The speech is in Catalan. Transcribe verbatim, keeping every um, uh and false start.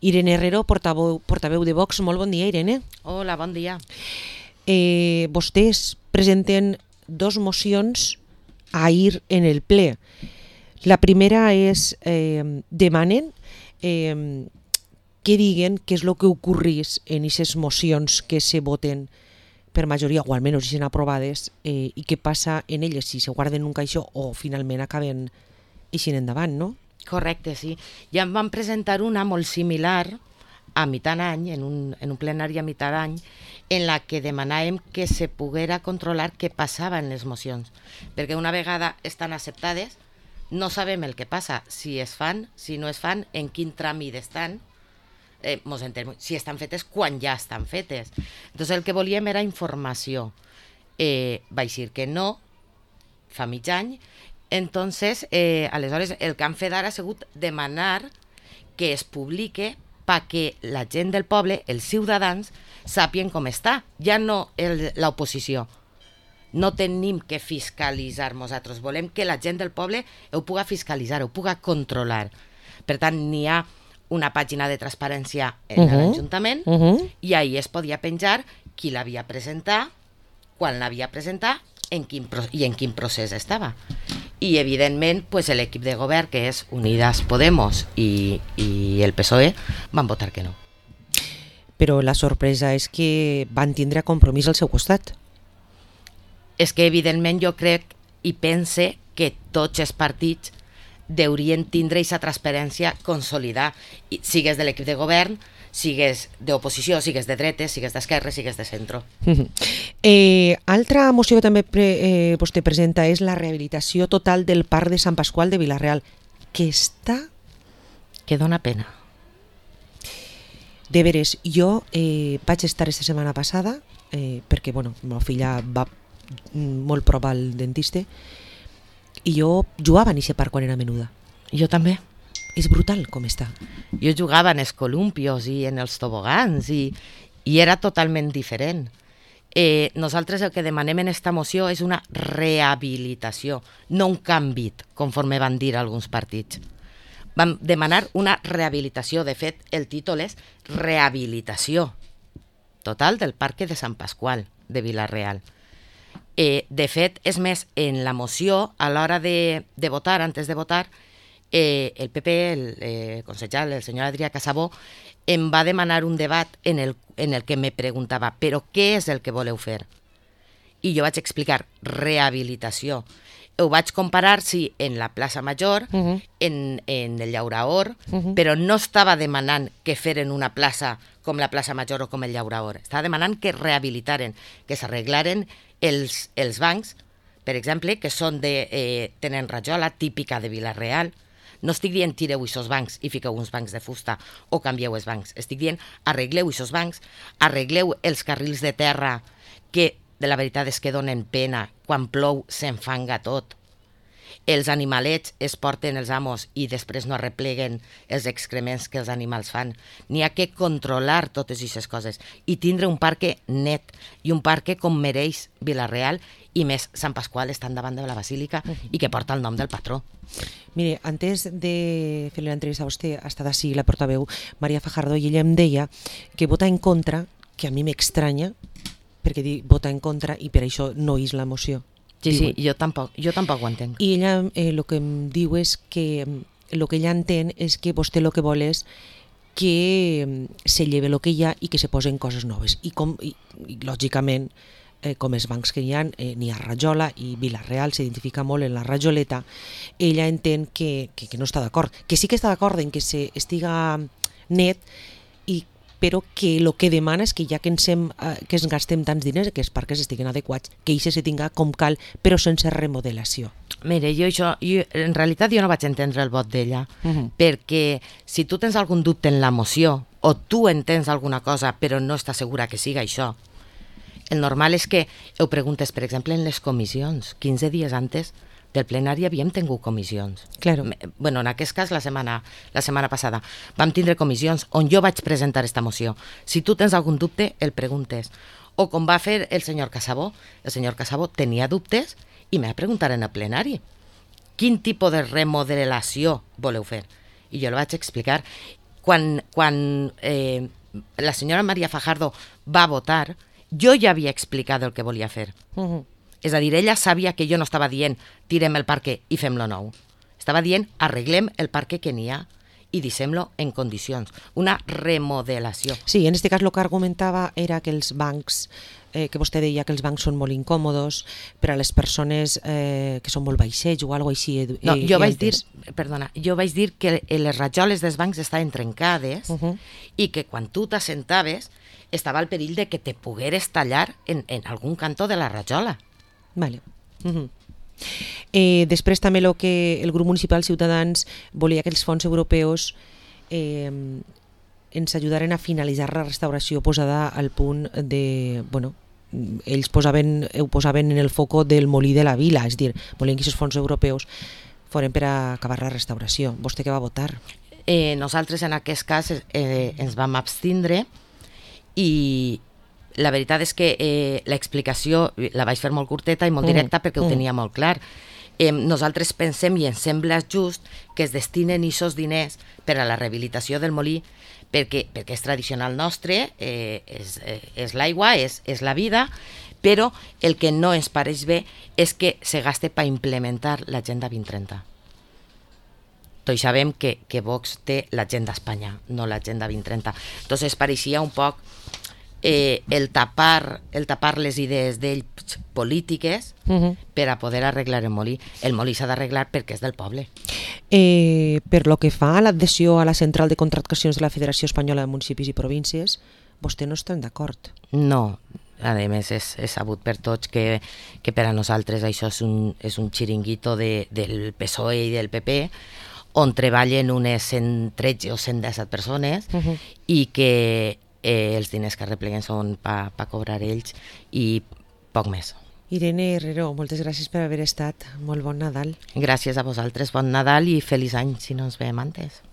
Irene Herrero, portaveu, portaveu de Vox. Molt bon dia, Irene. Hola, bon dia. Eh, vostès presenten dos mocions ahir en el ple. La primera és, eh, demanen eh, que diguen què és el que ocorrís en aquestes mocions que se voten per majoria, o almenys si són aprovades, eh, i què passa en elles, si se guarden en un caixó o finalment acaben eixint endavant, no? Correcte, sí. Ja em van presentar una molt similar a mitjan any, en un, en un plenari a mitjan any, en la que demanàvem que se poguera controlar què passava en les mocions. Perquè una vegada estan acceptades, no sabem el que passa, si es fan, si no es fan, en quin tràmit estan, eh, mos entenem, si estan fetes, quan ja estan fetes. Entonces el que volíem era informació. Eh, vaig dir que no, fa mig any. Entonces, eh, aleshores, el que han fet ara ha sigut demanar que es publique perquè la gent del poble, els ciutadans, sàpien com està. Ja no el, l'oposició. No tenim que fiscalitzar nosaltres. Volem que la gent del poble ho puga fiscalitzar, ho puga controlar. Per tant, n'hi ha una pàgina de transparència en uh-huh. l'Ajuntament uh -huh. i ahir es podia penjar qui l'havia presentat, quan l'havia presentat en quin, i en quin procés estava. I, evidentment, pues, l'equip de govern, que és Unidas Podemos i, i el P S O E, van votar que no. Però la sorpresa és que van tindre Compromís al seu costat. És que, evidentment, jo crec i pense que tots els partits deurien tindre aquesta transparència consolidar, sigues de l'equip de govern, sigues d'oposició, sigues de dretes, sigues d'esquerra, sigues de centre. Eh, altra moció que també pre, eh, vostè presenta és la rehabilitació total del Parc de Sant Pasqual de Vila-real, que està... Que dona pena. De veres, jo eh, vaig estar esta setmana passada, eh, perquè, bueno, la meva filla va molt prop al dentista, i jo jugava en aquest parc quan era menuda. Jo també. És brutal com està. Jo jugava en els columpios i en els tobogans i, i era totalment diferent. Eh, nosaltres el que demanem en esta moció és una rehabilitació, no un canvi, conforme van dir alguns partits. Vam demanar una rehabilitació. De fet, el títol és Rehabilitació total del Parc de Sant Pasqual de Vila-real. Eh, de fet, és més, en la moció, a l'hora de, de votar, antes de votar, eh, el P P, el eh, consellal, el senyor Adrià Casabó, em va demanar un debat en el, en el que me preguntava però què és el que voleu fer? I jo vaig explicar rehabilitació. Ho vaig comparar, sí, en la plaça Major, uh-huh. en, en el Llauraor, uh-huh. però no estava demanant que feren una plaça com la plaça Major o com el Llauraor. Estava demanant que rehabilitaren, que s'arreglaren els, els bancs, per exemple, que són de, eh, tenen rajola típica de Vila-real. No estic dient tireu aquests bancs i fiqueu uns bancs de fusta o canvieu els bancs. Estic dient arregleu aquests bancs, arregleu els carrils de terra que de la veritat és que donen pena. Quan plou s'enfanga tot. Els animalets es porten els amos i després no arrepleguen els excrements que els animals fan. N'hi ha que controlar totes aquestes coses i tindre un parc net i un parc com mereix Vila-real i més Sant Pasqual estan davant de la Basílica uh-huh. i que porta el nom del patró. Mire, antes de fer l'entrevista a vostè ha estat així la portaveu Maria Fajardo i ella em deia que vota en contra, que a mi m'estranya, perquè diu vota en contra i per això no és la moció. Sí, sí, jo tampoc, jo tampoc ho entenc. I ella el eh, que em diu és que el que ella entén és que vostè el que vol és que se lleve el que hi ha i que se posen coses noves. I, com, i, i lògicament, eh, com els bancs que hi ha, eh, n'hi ha rajola i Vila-real s'identifica molt en la rajoleta, ella entén que, que, que no està d'acord. Que sí que està d'acord en que se estiga net, i però que el que demana és que ja que ens, hem, que ens gastem tants diners, que els parcs estiguin adequats, que això se tinga com cal, però sense remodelació. Mire, jo això, jo, en realitat jo no vaig entendre el vot d'ella, uh-huh. perquè si tu tens algun dubte en la moció, o tu entens alguna cosa però no estàs segura que siga això, el normal és que ho preguntes, per exemple, en les comissions. quinze dies antes del plenari havíem tingut comissions. Claro. Bueno, en aquest cas la setmana, la setmana passada vam tindre comissions on jo vaig presentar esta moció. Si tu tens algun dubte, el preguntes. O com va fer el senyor Casabó. El senyor Casabó tenia dubtes i me va preguntar en el plenari quin tipus de remodelació voleu fer. I jo li vaig explicar quan, quan eh, la senyora Maria Fajardo va votar, jo ja havia explicat el que volia fer. Uh-huh. És a dir, ella sabia que jo no estava dient tirem el parque i fem-lo nou. Estava dient arreglem el parque que n'hi ha i deixem-lo en condicions. Una remodelació. Sí, en aquest cas el que argumentava era que els bancs, eh, que vostè deia que els bancs són molt incòmodos per a les persones eh, que són molt baixets o alguna cosa així. Eh, no, jo vaig dir, perdona, jo vaig dir que les rajoles dels bancs estaven trencades uh-huh. i que quan tu t'assentaves estava el perill de que te pogueres tallar en, en algun cantó de la rajola. Vale. Uh-huh. Eh, després també el que el grup municipal Ciutadans volia que els fons europeus eh, ens ajudaren a finalitzar la restauració posada al punt de, bueno, ells posaven, ho posaven en el foco del molí de la vila, és dir, volien que aquests fons europeus foren per a acabar la restauració. Vostè què va votar? Eh, nosaltres en aquest cas eh, ens vam abstindre i la veritat és que eh, l'explicació la vaig fer molt curteta i molt directa mm, perquè ho mm. tenia molt clar. Eh, nosaltres pensem i ens sembla just que es destinen aquests diners per a la rehabilitació del molí perquè, perquè és tradicional nostre, eh, és, eh, és l'aigua, és, és la vida, però el que no ens pareix bé és que se gaste per implementar l'Agenda vint trenta. Tots sabem que, que Vox té l'Agenda Espanya, no l'Agenda vint trenta. Entonces pareixia un poc Eh, el, tapar, el tapar les idees d'ells polítiques uh-huh. per a poder arreglar el molí. El molí s'ha d'arreglar perquè és del poble. Eh, per lo que fa a l'adhesió a la central de contractacions de la Federació Espanyola de Municipis i Províncies, vostè no està d'acord? No, a més és, és sabut per tots que, que per a nosaltres això és un, és un xiringuito de, del P S O E i del P P on treballen unes cent tretze o cent disset persones uh-huh. i que Eh, els diners que repleguen són per pa cobrar ells i poc més. Irene Herrero, moltes gràcies per haver estat. Molt bon Nadal. Gràcies a vosaltres, bon Nadal i feliç any si no ens veiem antes.